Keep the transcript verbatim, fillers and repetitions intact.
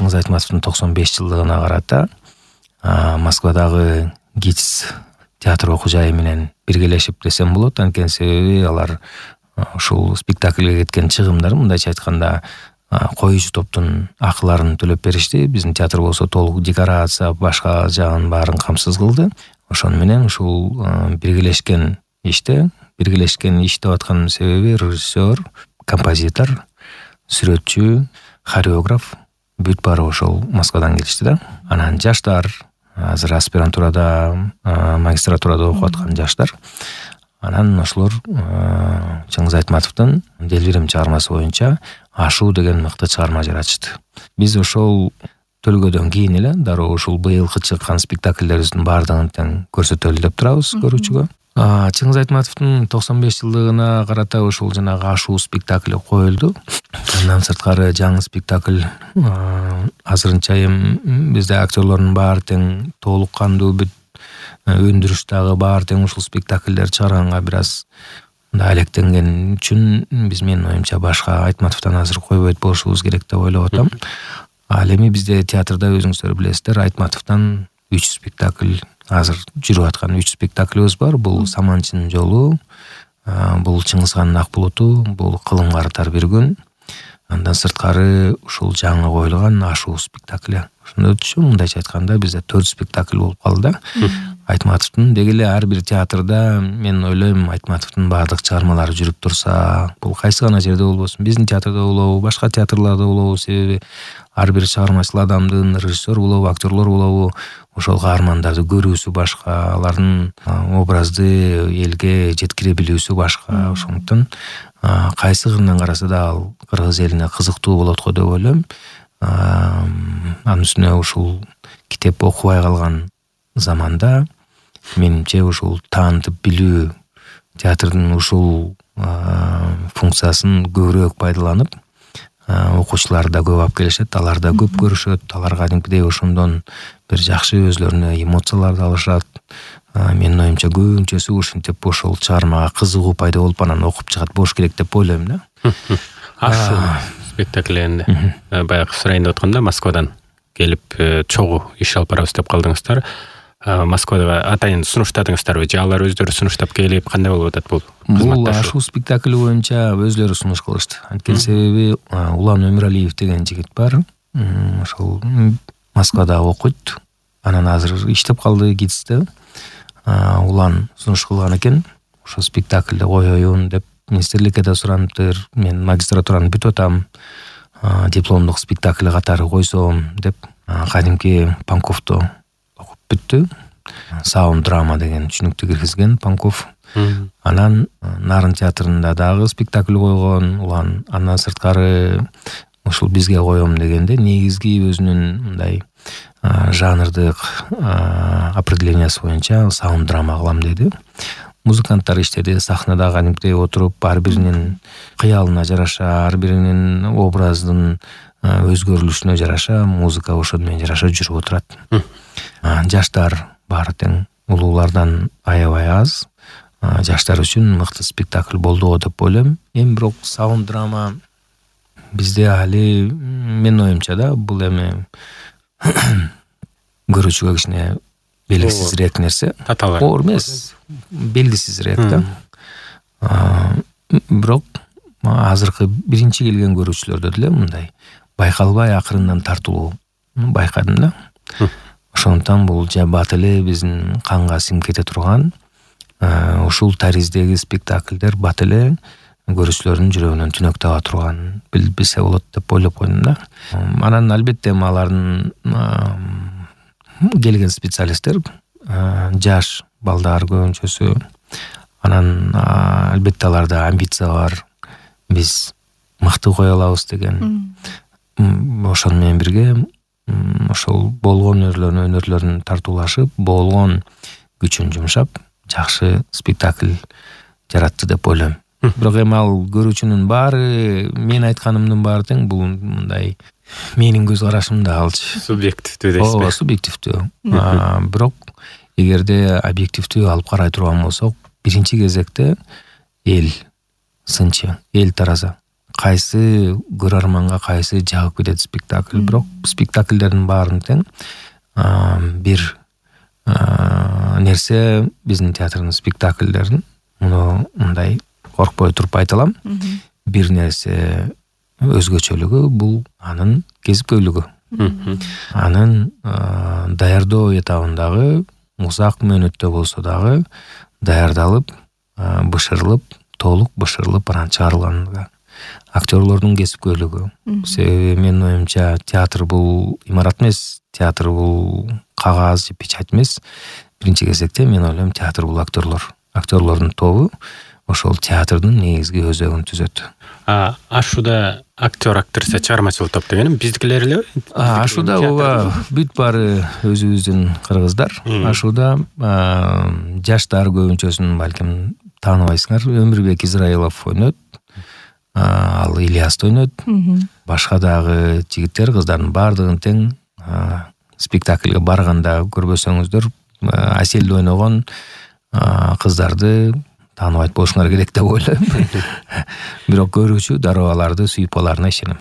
Чыңгыз Айтматовдун токсон беш жылдыгына карата Москвадагы ГИТИС театр окуу жайы менен биргелешип десем болот. Анткени себеби алар ушул спектакльге кеткен чыгымдар, мындайча айтканда, коюучу топтун акыларын төлөп беришти. Биздин театр болсо толук декорация, башка жагын баарын камсыз кылды. Ошону менен ушул биргелешкен иште, биргелешкен иш деп атканын себеби режиссер, композитор, сүрөтчү, хореограф бүт баары ошол Москвадан келишти да. Анан жаштар, азыр аспирантурада, магистратурада окуп аткан жаштар. Анан ошолор Чыңгыз Айтматовдун Делбирим чыгармасы боюнча Ашуу деген мыкты чыгарма жаратышты. Биз ошол төлгөдөн кийин эле дароо ушул быйылкы чыккан спектакльдерибиздин баардыгын тең көрсөтөлү деп турабыз көрүүчүгө. Чыңгыз Айтматовдун токсон беш жылдыгына карата ушул жанагы Ашуу спектакли коюлду. Андан сырткары жаңы спектакль азырынча эми бизде актерлордун баары тең толук кандуу бүт өндүрүш дагы баары тең ушул спектакльдер чыгарганга бир аз мындай алектенген үчүн биз, менин оюмча, башка Айтматовдон азыр койбойт болушубуз керек деп ойлоп атам. Ал эми бизде театрда өзүңүздөр билесиздер, Айтматовдон үч спектакль азыр жүрүп аткан үч спектаклибиз бар. Бул Саманчынын жолу, бул Чыңгызхандын ак булуту, бул Кылым карытар бир күн. Андан сырткары ушул жаңы коюлган Ашуу спектакли. Ошондо өтүшү, мындайча айтканда, бизде төрт спектакль болуп калды да. Айтматовдун деги эле ар бир театрда мен ойлойм, Айтматовдун баардык чыгармалары жүрүп турса, бул кайсы гана жерде болбосун, биздин театрда болобу, башка театрларда болобу, себеби ар бир чыгармачыл адамдын, режиссер болобу, актерлор болобу, ошол каармандарды көрүүсү башка, алардын образды элге жеткире билүүсү башка. Ошондуктан кайсы кырынан караса да ал кыргыз элине кызыктуу болот го деп ойлойм. Анын үстүнө ушул китеп окубай калган заманда менимче ушул таанытып билүү, театрдын ушул функциясын көбүрөөк пайдаланып, окуучулар да көп алып келишет, алар да көп көрүшөт, алар кадимкидей ошондон бир жакшы өзлөрүнө эмоцияларды алышат. Менин оюмча көбүнчөсү ушинтип ошол чыгармага кызыгуу пайда болуп анан окуп чыгат болуш керек деп ойлойм да. Ашуу спектакльинде баягы сурайын деп атканда Москвадан келип чогуу иш алып барабыз деп калдыңыздар. Москвада атайын сунуштадыңыздарбы же алар өздөрү сунуштап келип кандай болуп атат бул? Бул Ашуу спектакли боюнча өзлөрү сунуш кылышты. Анткени себеби Улан Өмүралиев деген жигит бар. Ошол Москвада окуйт. Анан азыр иштеп калды ГИТИСте. Улан сунуш кылган экен. Ошол спектакльди коеюн деп министрликке да сураныптыр. Мен магистратураны бүтүп атам. Дипломдук спектакль катары койсом деп кадимки Панковду окуп бүттү. Саунд драма деген түшүнүктү киргизген Панков. Анан Нарын театрында дагы спектакль койгон. Улан андан сырткары ушул бизге коем дегенде негизги өзүнүн мындай жанрдык определениясы боюнча саунд драма кылам деди. Музыканттар иштеди, сахнада кадимкидей отуруп, ар биринин кыялына жараша, ар биринин образдын өзгөрүлүшүнө жараша, музыка ошону менен жараша жүрүп отурат. Жаштар баары тең улуулардан аябай аз. Жаштар үчүн мыкты спектакль болду го деп ойлойм. Эми бирок саунд драма бизде али, менин оюмча да, бул эми көрүүчүгө кичине белгисизирээк нерсе. Таталар. Оор эмес, белгисизирээк да. Бирок азыркы биринчи келген көрүүчүлөрдө деле мындай байкалбай акырындан тартылуу байкадым да. Ошондуктан бул же бат эле биздин канга сиңип кете турган ушул тариздеги спектакльдер бат эле көрүүчүлөрдүн жүрөгүнөн түнөк таба турган билсе болот деп ойлоп койдум да. Анан албетте алардын келген специалисттер жаш балдар көбүнчөсү. Анан албетте аларда амбиция бар. Биз мыкты кое алабыз деген. Ошону менен бирге ошол болгон өнөрлөрүн өнөрлөрүн тартуулашып, болгон күчүн жумшап, жакшы спектакль жаратты деп ойлойм. Бирок эми ал көрүүчүнүн баары, мен айтканымдын баары тең, бул мындай менин көз карашым да алчы. Субъективдүү дейсизби? Ооба, субъективдүү. Бирок эгерде объективдүү алып карай турган болсок, биринчи кезекте эл, сынчы, эл тараза, кайсы көрөрманга кайсы жагып кетет спектакль. Бирок спектакльдердин баарын тең бир нерсе биздин театрдын спектакльдерин муну мындай коркпой туруп айта алам. Бир нерсе өзгөчөлүгү бул анын кесипкөйлүгү. Анын даярдоо этабындагы узак мөөнөттө болсо дагы даярдалып, бышырылып, толук бышырылып анан чыгарылган. Актерлордун кесипкөйлүгү. Себеби менин оюмча театр бул имарат эмес, театр бул кагаз же печать эмес. Биринчи кезекте мен ойлойм театр бул актерлор. Актерлордун тобу ошол театрдын негизги өзөгүн түзөт. А ашууда актер актриса чыгармачылык топ дегеним биздикилер элеби? Ашууда ооба бүт баары өзүбүздүн кыргыздар. Ашууда жаштар көбүнчөсүн балким тааныбайсыңар. Өмүрбек Израилов ойнойт. Ал Ильясты ойнойт. Башка дагы жигиттер, кыздардын баардыгын тең спектакльге барганда көрбөсөңүздөр Аселди ойногон кыздарды тааныбайт болушуңар керек деп ойлойм. Бирок көрүүчү дароо аларды сүйүп аларына ишенем.